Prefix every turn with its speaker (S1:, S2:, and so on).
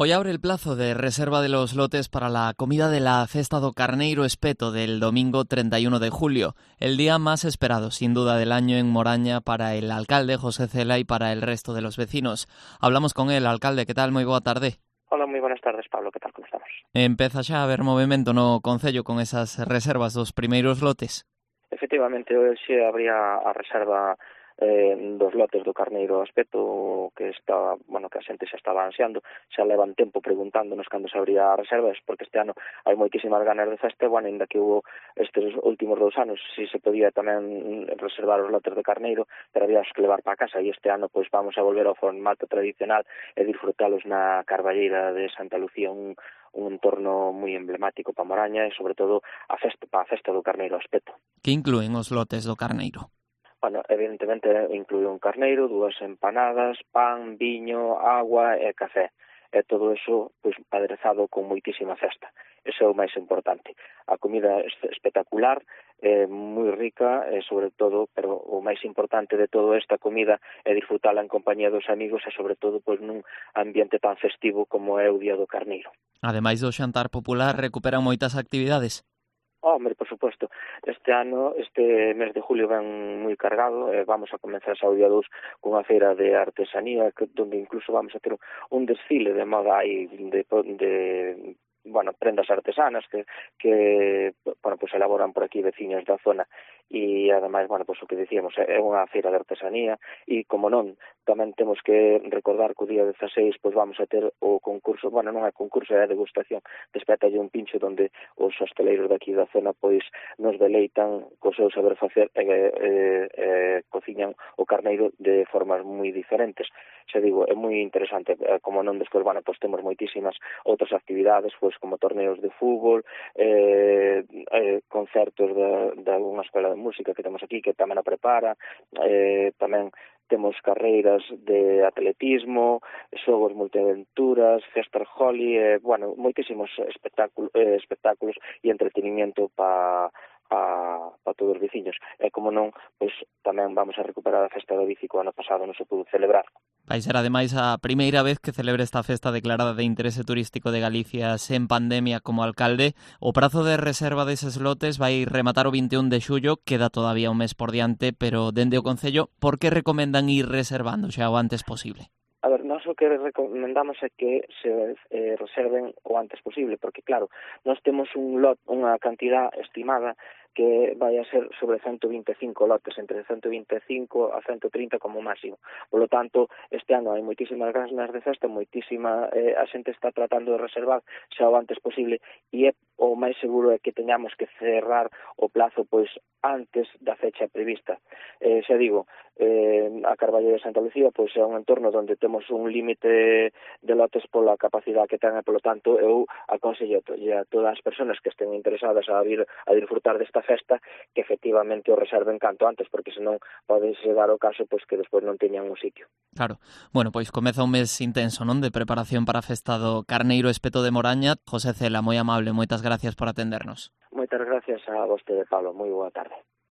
S1: Hoy abre el plazo de reserva de los lotes para la comida de la Festa do Carneiro Espeto del domingo 31 de julio, el día más esperado, sin duda, del año en Moraña para el alcalde José Cela y para el resto de los vecinos. Hablamos con él, alcalde, ¿qué tal? Moi boa tarde.
S2: Hola, moi buenas tardes, Pablo, que tal, como estamos?
S1: Empeza xa a haber movimento no Concello con esas reservas dos primeiros lotes?
S2: Efectivamente, hoxe habría a reserva dos lotes do Carneiro Espeto que está, que a xente xa estaba ansiando, xa levan tempo preguntándonos cando se abría a reserva, porque este ano hai moitísimas ganas de festa, ainda que hubo estes últimos 2 anos, si se podía tamén reservar os lotes de Carneiro, pero había que levar para casa, e este ano pois vamos a volver ao formato tradicional e disfrutalos na Carballeira de Santa Lucía, un entorno moi emblemático para Moraña e, sobre todo, a festa do Carneiro Espeto.
S1: Que inclúen os lotes do Carneiro?
S2: Evidentemente inclúe un carneiro, 2 empanadas, pan, viño, agua e café. E todo eso pois aderezado con moitísima festa. Eso é o máis importante. A comida é espectacular, moi rica, e sobre todo, pero o máis importante de toda esta comida é disfrutala en compañía dos amigos e sobre todo pois nun ambiente tan festivo como é o Día do Carneiro.
S1: Ademais do xantar popular, recuperan moitas actividades?
S2: Hombre, por suposto, este ano, este mes de julio ven moi cargado, vamos a comenzar xa o día 2 cunha feira de artesanía, donde incluso vamos a ter un desfile de moda aí de prendas artesanas que pues elaboran por aquí veciños da zona, e ademais, o que dicíamos, é unha feira de artesanía, e como non, tamén temos que recordar que o día 16 pois vamos a ter o concurso, non é concurso, é a degustación de Espétalle un pincho, donde os hosteleiros daqui da zona pois nos deleitan co seu saber facer e cociñan o carneiro de formas moi diferentes. Xa digo, é moi interesante, como non, despois, temos moitísimas outras actividades, como torneos de fútbol, concertos de unha escola de música que temos aquí, que tamén a prepara, tamén temos carreiras de atletismo, xogos multiaventuras, Fester Holly, moitísimos espectáculos e entretenimiento para todos os veciños. E como non, pois tamén vamos a recuperar a festa da bici que o ano pasado non se pudo celebrar.
S1: Vai ser ademais a primeira vez que celebre esta festa declarada de interese turístico de Galicia sen pandemia como alcalde. O prazo de reserva deses lotes vai rematar o 21 de xullo, queda todavía un mes por diante, pero dende o Concello, por que recomendan ir reservando xa o antes posible?
S2: A ver, nós o que recomendamos é que se reserven o antes posible, porque claro, nós temos unha cantidad estimada que vai a ser sobre 125 lotes, entre 125 a 130 como máximo. Por lo tanto, este ano hai moitísimas ganas de festa, a xente está tratando de reservar xa o antes posible, e o máis seguro é que teñamos que cerrar o plazo pois antes da fecha prevista. Xa digo, a Carballeira de Santa Lucía pois é un entorno onde temos un límite de lotes pola capacidade que ten, e polo tanto eu aconsello a todas as persoas que estén interesadas a vir a disfrutar desta festa que efectivamente o reserven canto antes, porque senón pode chegar o caso pois que despois non teñan un sitio.
S1: Claro. Bueno, pois comeza un mes intenso, non, de preparación para a festa do Carneiro Espeto de Moraña. José Cela, moi amable, moitas gracias por atendernos.
S2: Moitas gracias a vostede, Pablo. Moi boa tarde.